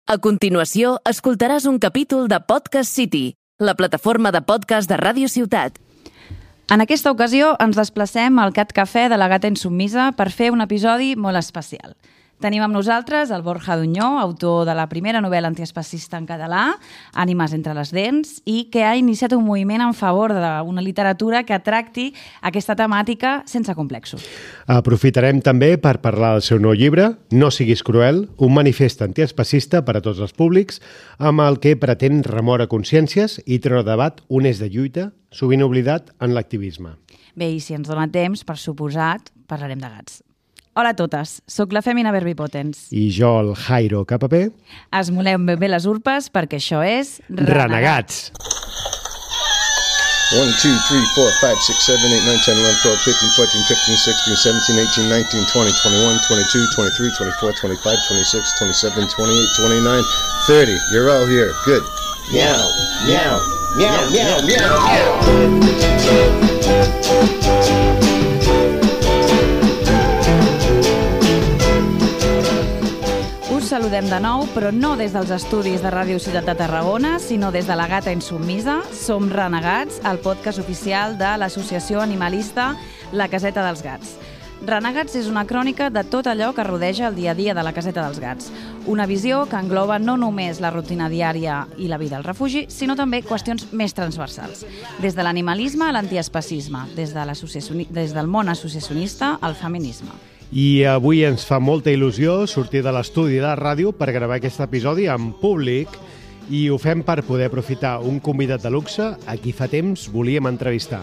A continuació, escoltaràs un capítol de Podcast City, la plataforma de podcast de Ràdio Ciutat. En aquesta ocasió ens desplacem al Cat Cafè de la Gata Insubmisa per fer un episodi molt especial. Tenim amb nosaltres el Borja Duñó, autor de la primera novel·la antiespecista en català, Ànimes entre les dents, i que ha iniciat un moviment en favor d'una literatura que tracti aquesta temàtica sense complexos. Aprofitarem també per parlar del seu nou llibre, No siguis cruel, un manifest antiespecista per a tots els públics, amb el que pretén remoure consciències i treure a debat un eix de lluita, sovint oblidat en l'activisme. Bé, i si ens dona temps, per suposat, parlarem de gats. Hola a totes, soc la Fèmina Verbipotens. I jo, el Jairo Capapé. Esmolem ben bé les urpes perquè això és... Renegats! 1, 2, 3, 4, 5, 6, 7, 8, 9, 10, 11, 12, 15, 14, 15, 16, 17, 18, 19, 20, 21, 22, 23, 24, 25, 26, 27, 28, 29, 30. You're all here. Good. Meow, meow, meow, meow, meow, meow. Saludem de nou, però no des dels estudis de Ràdio Ciutat de Tarragona, sinó des de la Gata Insubmisa. Som Renegats, el podcast oficial de l'associació animalista La Caseta dels Gats. Renegats és una crònica de tot allò que rodeja el dia a dia de la Caseta dels Gats. Una visió que engloba no només la rutina diària i la vida al refugi, sinó també qüestions més transversals. Des de l'animalisme a l'antiespecisme, des del món associacionista al feminisme. I avui ens fa molta il·lusió sortir de l'estudi de la ràdio per gravar aquest episodi en públic i ho fem per poder aprofitar un convidat de luxe a qui fa temps volíem entrevistar.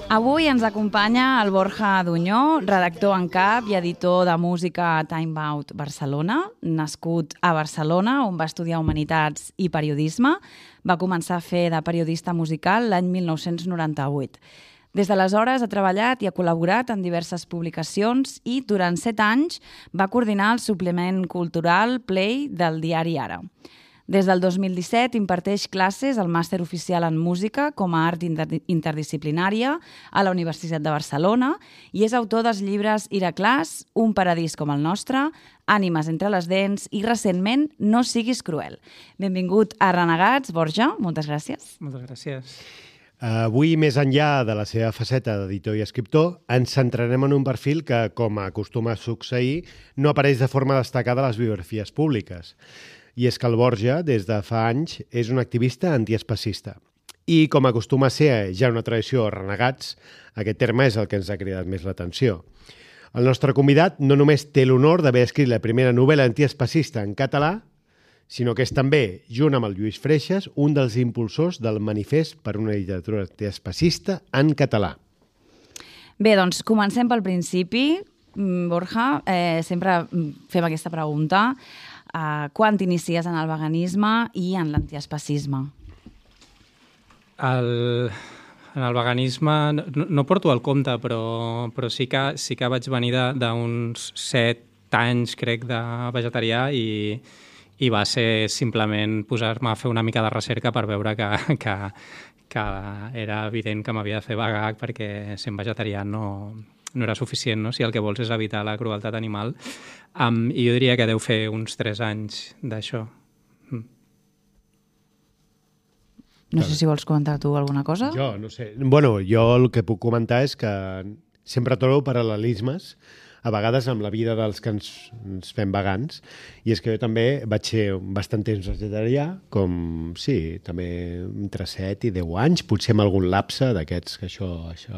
Avui ens acompanya el Borja Duñó, redactor en cap i editor de música a Time Out Barcelona, nascut a Barcelona, on va estudiar Humanitats i Periodisme. Va començar a fer de periodista musical l'any 1998. Des d'aleshores ha treballat i ha col·laborat en diverses publicacions i durant 7 anys va coordinar el suplement cultural Play del diari Ara. Des del 2017 imparteix classes al màster oficial en música com a art interdisciplinària a la Universitat de Barcelona i és autor dels llibres Iraclàs, Un paradís com el nostre, Ànimes entre les dents i recentment No siguis cruel. Benvingut a Renegats, Borja, moltes gràcies. Moltes gràcies. Avui, més enllà de la seva faceta d'editor i escriptor, ens centrarem en un perfil que, com acostuma a succeir, no apareix de forma destacada a les biografies públiques. I és que el Borja, des de fa anys, és un activista antiespecista. I, com acostuma a ser ja una tradició Renegats, aquest terme és el que ens ha cridat més l'atenció. El nostre convidat no només té l'honor d'haver escrit la primera novel·la antiespecista en català, sinó que és també, junt amb el Lluís Freixas, un dels impulsors del manifest per una literatura antiespecista en català. Bé, doncs comencem pel principi. Borja, sempre fem aquesta pregunta. Quan t'inicies en el veganisme i en l'antiespecisme? En el veganisme no porto el compte, però sí que vaig venir d'uns 7 anys, crec, de vegetarià i va ser simplement posar-me a fer una mica de recerca per veure que era evident que m'havia de fer vegà perquè sent vegetarià no era suficient, no? Si el que vols és evitar la crueltat animal. I jo diria que deu fer uns 3 anys d'això. No sé si vols comentar tu alguna cosa. Jo no sé. Bueno, jo el que puc comentar és que sempre trobo paral·lelismes a vegades amb la vida dels que ens fem vegans, i és que jo també vaig ser bastant temps vegetarià, com, sí, també entre 7 i 10 anys, potser amb algun lapse d'aquests que això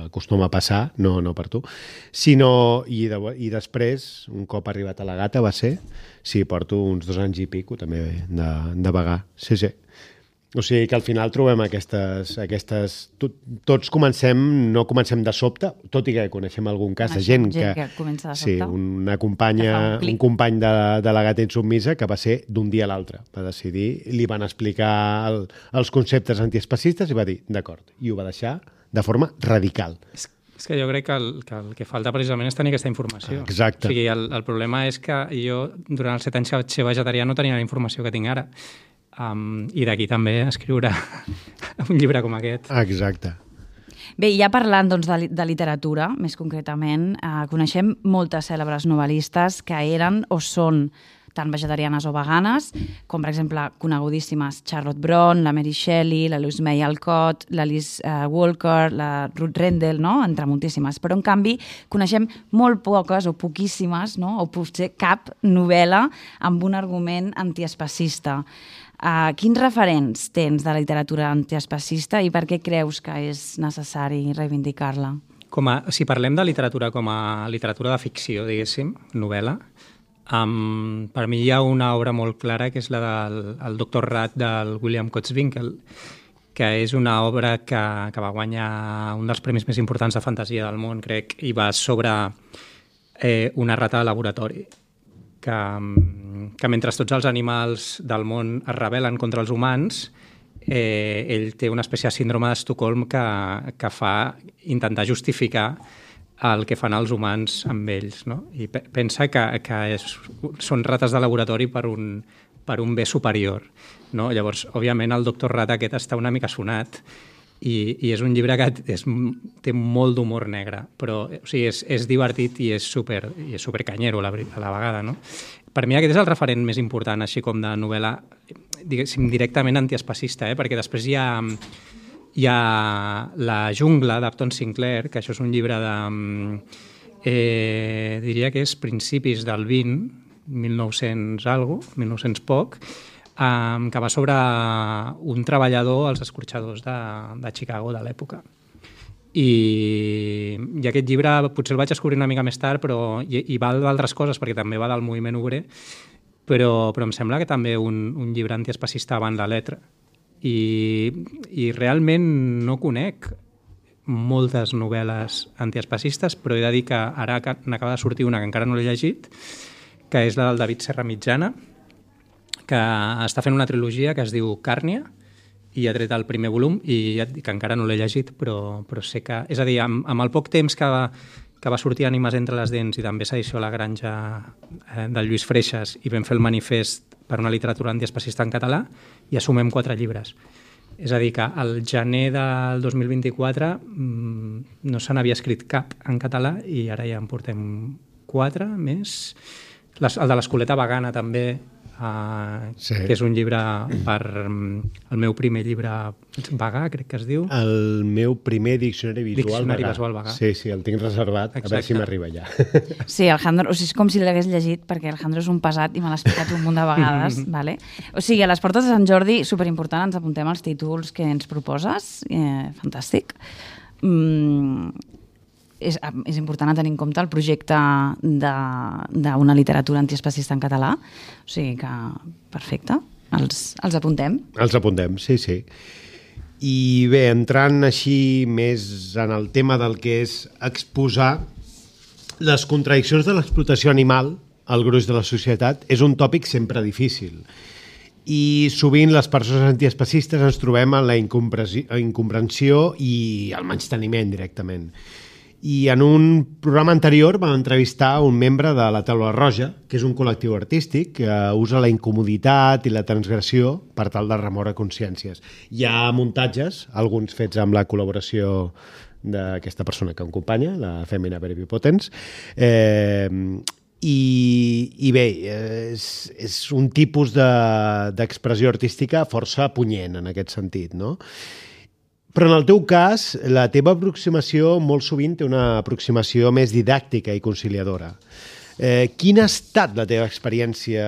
acostuma a passar, no per tu, sinó, i després, un cop arribat a la Gata va ser, sí, porto uns 2 anys i pico també de vegà, sí. O sigui que al final trobem aquestes tots no comencem de sobte, tot i que coneixem algun cas de gent que comença de sobte. Sí, una companya, un company de la Gata Insubmisa que va ser d'un dia a l'altre. Va decidir, li van explicar els conceptes antiespecistes i va dir, d'acord, i ho va deixar de forma radical. És que jo crec que el que falta precisament és tenir aquesta informació. Exacte. O sigui, el problema és que jo, durant els 7 anys que vaig ser vegetarià, no tenia la informació que tinc ara. I d'aquí també escriure un llibre com aquest. Exacte. Bé, ja parlant doncs, de literatura, més concretament, coneixem moltes cèlebres novel·listes que eren o són tant vegetarianes o veganes, com per exemple conegudíssimes Charlotte Brontë, la Mary Shelley, la Louise May Alcott, la Liz Walker, la Ruth Rendell, no? Entre moltíssimes. Però, en canvi, coneixem molt poques o poquíssimes, no? O potser cap novel·la amb un argument antiespecista. Quins referents tens de la literatura antiespecista i per què creus que és necessari reivindicar-la? Si parlem de literatura com a literatura de ficció, diguéssim, novel·la, per mi hi ha una obra molt clara que és la del Doctor Rat del William Kotzwinkle, que és una obra que va guanyar un dels premis més importants de fantasia del món, crec, i va sobre una rata de laboratori, que mentre tots els animals del món es rebel·len contra els humans, ell té una espècie de síndrome d'Estocolm que fa intentar justificar el que fan els humans amb ells, no? I pensa que són rates de laboratori per un bé superior, no? Llavors, òbviament, el doctor Rat aquest està una mica sonat i és un llibre que té molt d'humor negre, però o sigui, és divertit i és supercanyero a la vegada, no? Per mi aquest és el referent més important, així com de novel·la, diguéssim, directament antiespecista, perquè després hi ha La jungla d'Upton Sinclair, que això és un llibre diria que és principis del 1900 poc, que va sobre un treballador als escorxadors de Chicago de l'època. I aquest llibre potser el vaig descobrir una mica més tard, però i va d'altres coses, perquè també va del moviment obrer, però em sembla que també un llibre antiespecista avant la letra. I realment no conec moltes novel·les antiespecistes, però he de dir que ara n'acaba de sortir una que encara no l'he llegit, que és la del David Serra Mitjana, que està fent una trilogia que es diu Càrnia, i ha tret el primer volum, i ja et dic que encara no l'he llegit, però sé que... És a dir, amb el poc temps que va sortir Ànimes entre les dents i també s'edició a la Granja del Lluís Freixas i vam fer el manifest per una literatura antiespecista en català i assumem 4 llibres. És a dir, que al gener del 2024 no se n'havia escrit cap en català i ara ja en portem 4 més. El de l'Escoleta Vegana també, que és un llibre el meu primer llibre vegà, crec que es diu. El meu primer diccionari visual vegà. Sí, el tinc reservat. Exacte. A veure si m'arriba ja. Sí, Alejandro, és com si l'hagués llegit, perquè Alejandro és un pesat i me l'ha explicat un munt de vegades. Vale? O sigui, a les portes de Sant Jordi, superimportant, ens apuntem els títols que ens proposes. Fantàstic. És important tenir en compte el projecte d'una literatura antiespecista en català. O sigui que, perfecte, els apuntem. Els apuntem, sí. I bé, entrant així més en el tema del que és exposar les contradiccions de l'explotació animal al gruix de la societat, és un tòpic sempre difícil. I sovint les persones antiespecistes ens trobem en la incomprensió i el menysteniment directament. I en un programa anterior vam entrevistar un membre de la Taula Roja, que és un col·lectiu artístic que usa la incomoditat i la transgressió per tal de remoure consciències. Hi ha muntatges, alguns fets amb la col·laboració d'aquesta persona que acompanya, la Femina Very Potens, i bé, és un tipus d'expressió artística força punyent en aquest sentit, no? Però en el teu cas, la teva aproximació molt sovint té una aproximació més didàctica i conciliadora. Quina ha estat la teva experiència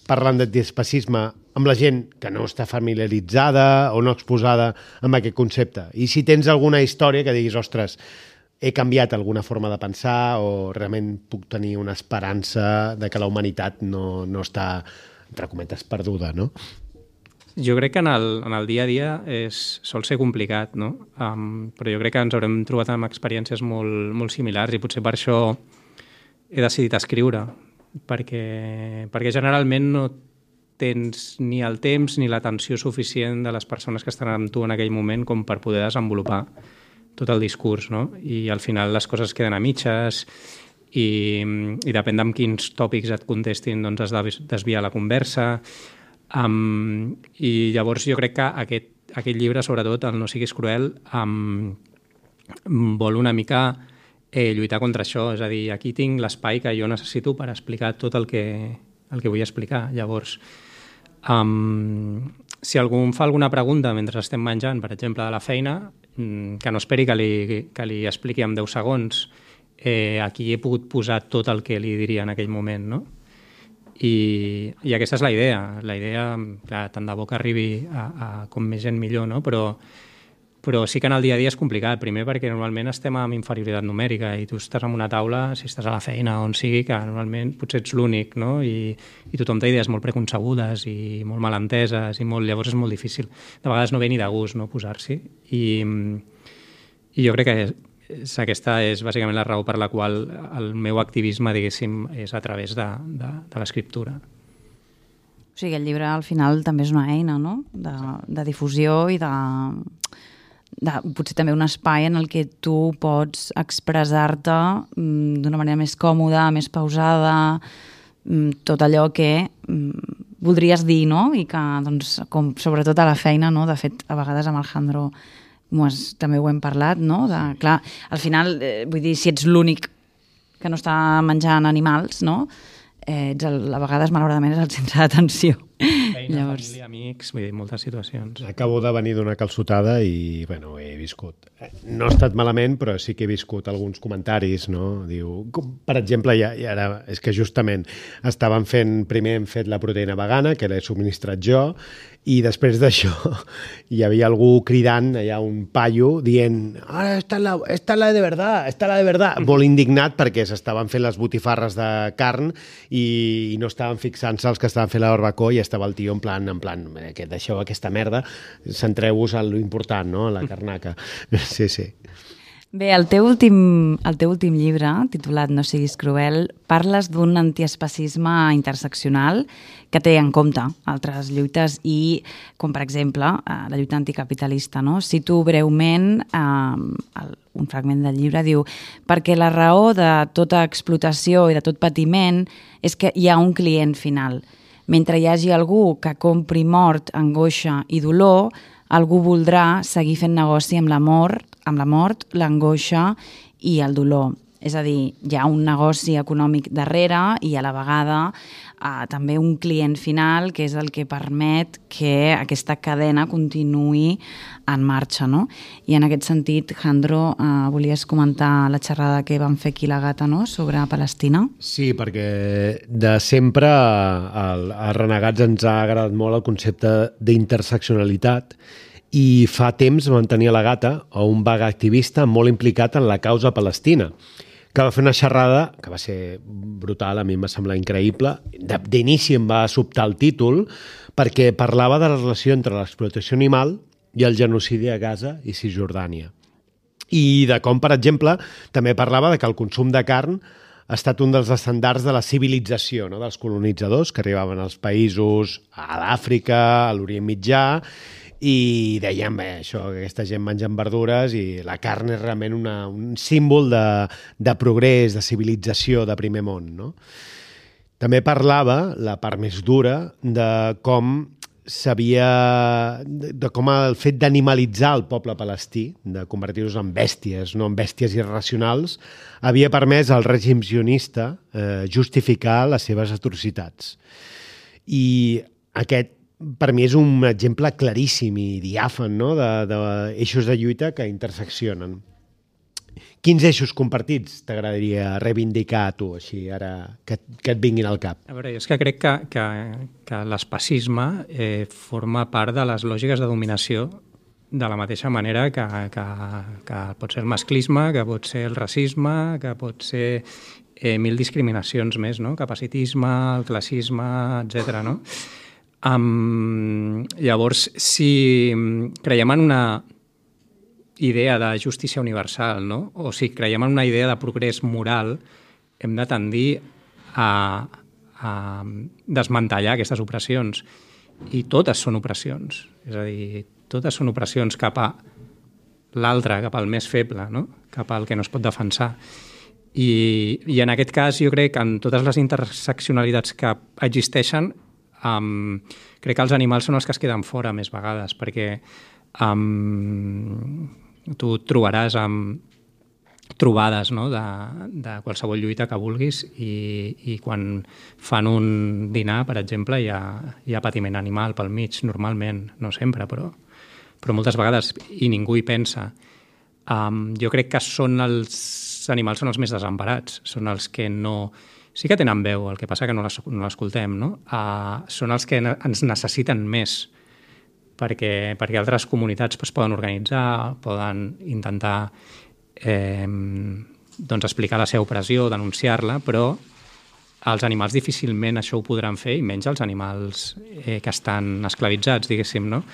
parlant d'antiespecisme amb la gent que no està familiaritzada o no exposada amb aquest concepte? I si tens alguna història que diguis, ostres, he canviat alguna forma de pensar o realment puc tenir una esperança de que la humanitat no està, entre cometes, perduda, no? Jo crec que en el dia a dia sol ser complicat, no? Però jo crec que ens haurem trobat amb experiències molt, molt similars i potser per això he decidit escriure, perquè generalment no tens ni el temps ni l'atenció suficient de les persones que estan amb tu en aquell moment com per poder desenvolupar tot el discurs, no? I al final les coses queden a mitges i depèn d'en quins tòpics et contestin, doncs has de desviar la conversa. I llavors jo crec que aquest llibre, sobretot, el No siguis cruel, vol una mica lluitar contra això. És a dir, aquí tinc l'espai que jo necessito per explicar tot el que vull explicar. Llavors, si algú em fa alguna pregunta mentre estem menjant, per exemple, de la feina, que no esperi que li expliqui en 10 segons, aquí he pogut posar tot el que li diria en aquell moment, no? I aquesta és la idea. La idea, clar, tant de bo que arribi a com més gent millor, no? Però sí que en el dia a dia és complicat. Primer perquè normalment estem amb inferioritat numèrica i tu estàs en una taula, si estàs a la feina o on sigui, que normalment potser ets l'únic, no? I tothom té idees molt preconcebudes i molt mal enteses llavors és molt difícil. De vegades no ve ni de gust, no, posar-s'hi. I jo crec que aquesta és bàsicament la raó per la qual el meu activisme, diguéssim, és a través de l'escriptura. O sigui, el llibre al final també és una eina, no?, de difusió i de potser també un espai en el que tu pots expressar-te d'una manera més còmoda, més pausada, tot allò que voldries dir, no?, i que, doncs, com sobretot a la feina, no?, de fet, a vegades amb el Jandro també ho hem parlat, no?, clar, al final, vull dir, si ets l'únic que no està menjant animals, no?, a vegades, malauradament, és el centre d'atenció. Feina, família, amics, vull dir, moltes situacions. Acabo de venir d'una calçotada i, bueno, he viscut. No ha estat malament, però sí que he viscut alguns comentaris, no? Diu, per exemple, ara, és que justament primer hem fet la proteïna vegana, que l'he subministrat jo, i després d'això hi havia algú cridant, allà un paio, dient esta es la de verdad, molt indignat perquè s'estaven fent les botifarres de carn i no estaven fixant-se els que estaven fent la barbacoa i estava el tio en plan, que deixeu aquesta merda, centreu-vos en lo important, no?, la carnaca. Sí. Bé, el teu últim llibre, titulat No siguis cruel, parles d'un antiespecisme interseccional que té en compte altres lluites i, com per exemple, la lluita anticapitalista, no? Cito breument un fragment del llibre, diu: perquè la raó de tota explotació i de tot patiment és que hi ha un client final. Mentre hi hagi algú que compri mort, angoixa i dolor, algú voldrà seguir fent negoci amb la mort, l'angoixa i el dolor. És a dir, hi ha un negoci econòmic darrere i a la vegada també un client final que és el que permet que aquesta cadena continuï en marxa, no? I en aquest sentit, Jandro, volies comentar la xerrada que vam fer aquí a la Gata, no?, sobre Palestina? Sí, perquè de sempre a Renegats ens ha agradat molt el concepte d'interseccionalitat i fa temps vam tenir a la Gata un vaga activista molt implicat en la causa palestina, que va fer una xerrada que va ser brutal, a mi em va semblar increïble. D'inici em va sobtar el títol perquè parlava de la relació entre l'explotació animal i el genocidi a Gaza i Cisjordània. I de com, per exemple, també parlava de que el consum de carn ha estat un dels estandards de la civilització, no?, dels colonitzadors que arribaven als països, a l'Àfrica, a l'Orient Mitjà, i deien, això, que aquesta gent menja verdures i la carn és realment un símbol de progrés, de civilització de primer món, no? També parlava, la part més dura, de com el fet d'animalitzar el poble palestí, de convertir-los en bèsties, no en bèsties irracionals, havia permès al règim sionista justificar les seves atrocitats. I aquest, per mi, és un exemple claríssim i diàfan, no?, d'eixos de lluita que interseccionen. Quins eixos compartits t'agradaria reivindicar a tu, així, ara que et vinguin al cap? A veure, jo és que crec que l'especisme forma part de les lògiques de dominació de la mateixa manera que pot ser el masclisme, que pot ser el racisme, que pot ser mil discriminacions més, no?, capacitisme, el classisme, etc., no? Llavors, si creiem en una idea de justícia universal, no?, o si creiem en una idea de progrés moral, hem de tendir a desmantellar aquestes opressions. I totes són opressions. És a dir, totes són opressions cap a l'altre, cap al més feble, no?, cap al que no es pot defensar. I en aquest cas jo crec que en totes les interseccionalitats que existeixen crec que els animals són els que es queden fora més vegades, perquè tu trobaràs trobades, no? de qualsevol lluita que vulguis i quan fan un dinar, per exemple, hi ha patiment animal pel mig, normalment, no sempre, però moltes vegades, i ningú hi pensa. Jo crec que els animals són els més desemparats, són els que no... Sí que tenen veu, el que passa que no l'escoltem, no? Són els que ens necessiten més, perquè altres comunitats poden organitzar, poden intentar explicar la seva opressió, denunciar-la, però els animals difícilment això ho podran fer, i menys els animals que estan esclavitzats, diguéssim, no?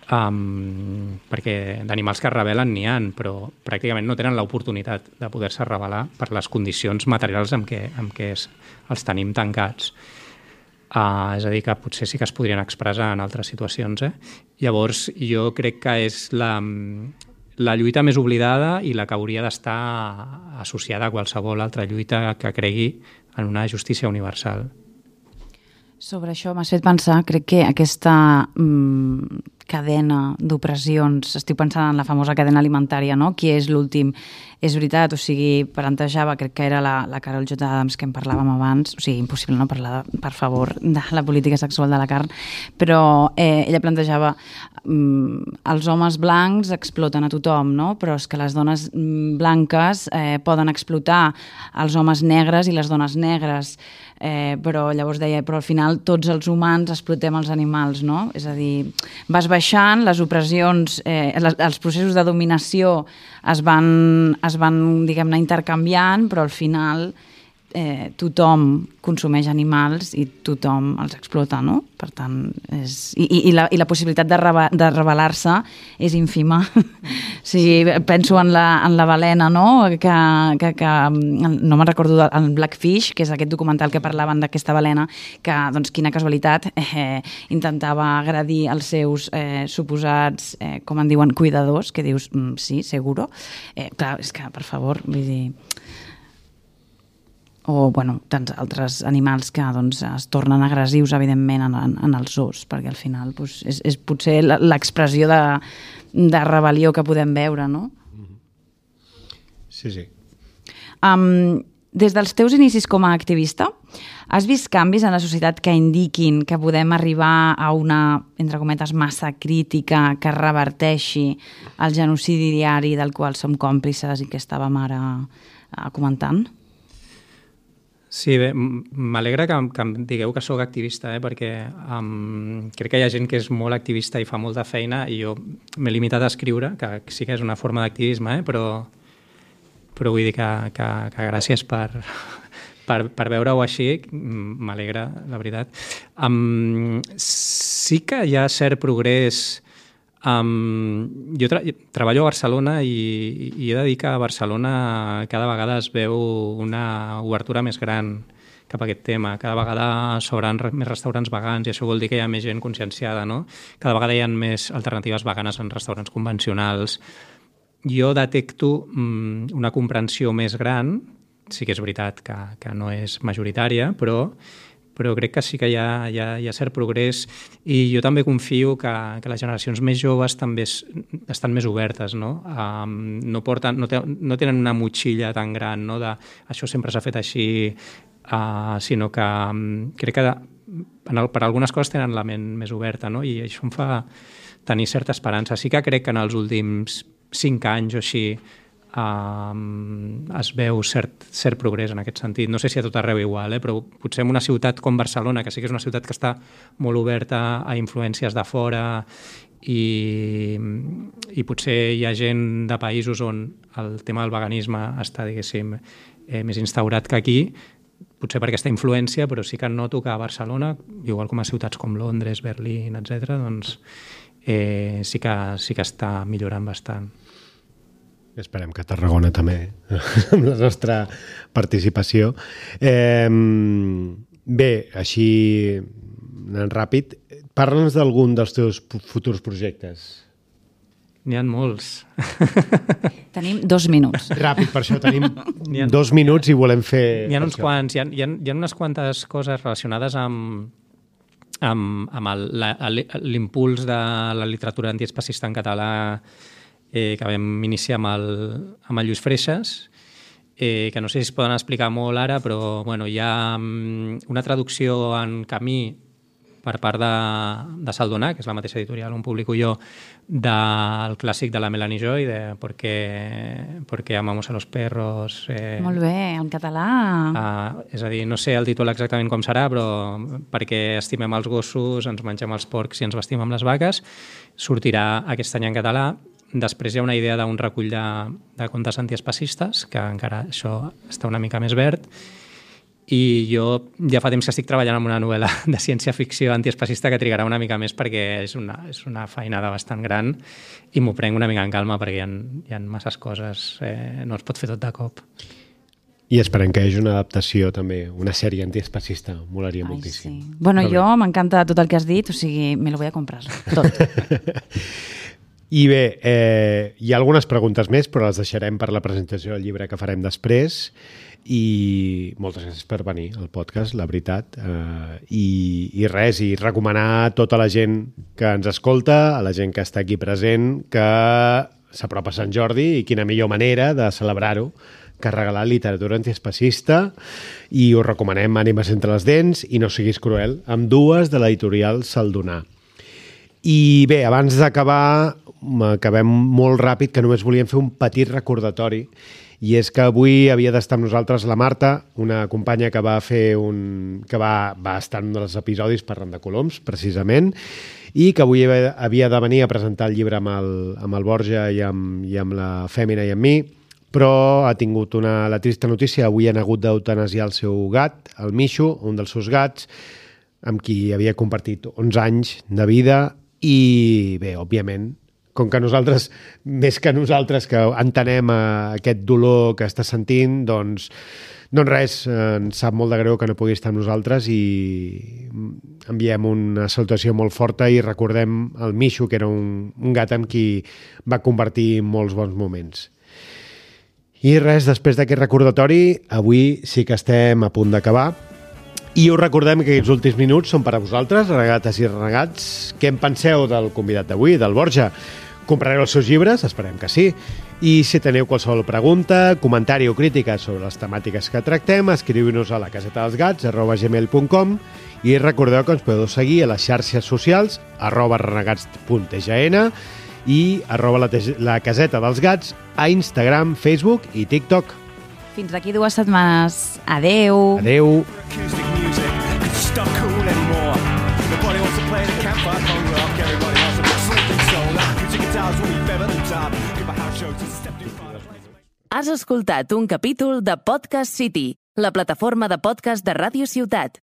Perquè d'animals que es rebel·len n'hi ha, però pràcticament no tenen l'oportunitat de poder-se rebel·lar per les condicions materials amb què els tenim tancats. És a dir, que potser sí que es podrien expressar en altres situacions. Llavors, jo crec que és la lluita més oblidada i la que hauria d'estar associada a qualsevol altra lluita que cregui en una justícia universal. Sobre això m'has fet pensar, crec que aquesta cadena d'opressions, estic pensant en la famosa cadena alimentària, no? Qui és l'últim? És veritat, o sigui, plantejava, crec que era la Carol J. Adams que en parlàvem abans, o sigui, impossible no parlar, per favor, de la política sexual de la carn, però ella plantejava els homes blancs exploten a tothom, no? Però és que les dones blanques poden explotar els homes negres i les dones negres, però llavors deia, però al final tots els humans explotem els animals, no? És a dir, vas baixant, les opressions, els processos de dominació es van diguem-ne, intercanviant, però al final tothom consumeix animals i tothom els explota, no? Per tant, i la possibilitat de rebel·lar-se és ínfima. Sí, penso en la balena, no? Que no me'n recordo del Blackfish, que és aquest documental que parlaven d'aquesta balena, que, doncs, quina casualitat, intentava agredir els seus suposats, com en diuen, cuidadors, que dius, sí, seguro. Clar, és que, per favor, vull dir... o tants altres animals que es tornen agressius, evidentment, en els zoos, perquè al final és potser l'expressió de rebel·lió que podem veure, no? Sí, sí. Des dels teus inicis com a activista, has vist canvis en la societat que indiquin que podem arribar a una, entre cometes, massa crítica que reverteixi el genocidi diari del qual som còmplices i que estàvem ara comentant? Sí, bé, m'alegra que em digueu que sóc activista, perquè crec que hi ha gent que és molt activista i fa molta feina, i jo m'he limitat a escriure, que sí que és una forma d'activisme, però vull dir que gràcies per veure-ho així, m'alegra, la veritat. Sí que hi ha cert progrés. Jo treballo a Barcelona i he de dir que a Barcelona cada vegada es veu una obertura més gran cap a aquest tema. Cada vegada s'obren més restaurants vegans i això vol dir que hi ha més gent conscienciada, no? Cada vegada hi ha més alternatives veganes en restaurants convencionals. Jo detecto una comprensió més gran, sí que és veritat que no és majoritària, però crec que sí que hi ha cert progrés, i jo també confio que les generacions més joves també estan més obertes, no? No tenen una motxilla tan gran, no? De això sempre s'ha fet així, sinó que crec que per algunes coses tenen la ment més oberta, no? I això em fa tenir certa esperança. Sí que crec que en els últims 5 anys o així es veu cert progrés en aquest sentit. No sé si a tot arreu igual, però potser en una ciutat com Barcelona, que sí que és una ciutat que està molt oberta a influències de fora, i potser hi ha gent de països on el tema del veganisme està, diguéssim, més instaurat que aquí, potser per aquesta influència, però sí que noto que a Barcelona, igual com a ciutats com Londres, Berlín, etc., doncs sí que està millorant bastant. Esperem que a Tarragona també, amb la nostra participació. Bé, així anant ràpid, parla'ns d'algun dels teus futurs projectes. N'hi ha molts. Tenim 2 minuts. Ràpid, per això tenim 2 minuts i volem fer... N'hi ha uns quants, hi ha unes quantes coses relacionades amb l'impuls de la literatura antiespecista en català que vam iniciar amb el Lluís Freixas, que no sé si es poden explicar molt ara, però bueno, hi ha una traducció en camí per part de Saldonar, que és la mateixa editorial on publico jo, del clàssic de la Melanie Joy, de Porque amamos a los perros. Molt bé, en català. És a dir, no sé el títol exactament com serà, però perquè estimem els gossos, ens mengem els porcs i ens vestim amb les vaques, sortirà aquest any en català. Després hi ha una idea d'un recull de contes antiespacistes, que encara això està una mica més verd, i jo ja fa temps que estic treballant en una novel·la de ciència-ficció antiespacista que trigarà una mica més perquè és una feinada bastant gran i m'ho prenc una mica en calma perquè hi ha masses coses, no es pot fer tot de cop. I esperem que hi hagi una adaptació també, una sèrie antiespacista, molaria moltíssim. Sí. Bueno, jo m'encanta tot el que has dit, o sigui, me lo voy a comprar, tot. I bé, hi ha algunes preguntes més, però les deixarem per la presentació del llibre que farem després. I moltes gràcies per venir al podcast, la veritat. I res, i recomanar a tota la gent que ens escolta, a la gent que està aquí present, que s'apropa a Sant Jordi i quina millor manera de celebrar-ho que regalar literatura antiespacista, i us recomanem Ànimes entre les dents i No siguis cruel, amb dues de l'editorial Saldonar. I bé, abans d'acabar, acabem molt ràpid, que només volíem fer un petit recordatori, i és que avui havia d'estar amb nosaltres la Marta, una companya que va estar en un dels episodis parlant de coloms, precisament, i que avui havia de venir a presentar el llibre amb el Borja i amb la Fèmina i amb mi, però ha tingut la trista notícia. Avui han hagut d'eutanasiar el seu gat, el Mishu, un dels seus gats, amb qui havia compartit 11 anys de vida, i bé, òbviament, com que nosaltres, més que nosaltres, que entenem aquest dolor que està sentint, doncs res, ens sap molt de greu que no pugui estar amb nosaltres, i enviem una salutació molt forta i recordem el Mishu, que era un gat amb qui va compartir molts bons moments. I res, després d'aquest recordatori, avui sí que estem a punt d'acabar. I us recordem que aquests últims minuts són per a vosaltres, renegates i renegats. Què en penseu del convidat d'avui, del Borja? Comprareu els seus llibres? Esperem que sí. I si teniu qualsevol pregunta, comentari o crítica sobre les temàtiques que tractem, escriviu-nos a lacasetadelsgats@gmail.com, i recordeu que ens podeu seguir a les xarxes socials @renegats.tgn i @la caseta dels gats a Instagram, Facebook i TikTok. Fins d'aquí 2 setmanes. Adeu. Adeu. Has escoltat un capítol de Podcast City, la plataforma de podcast de Ràdio Ciutat.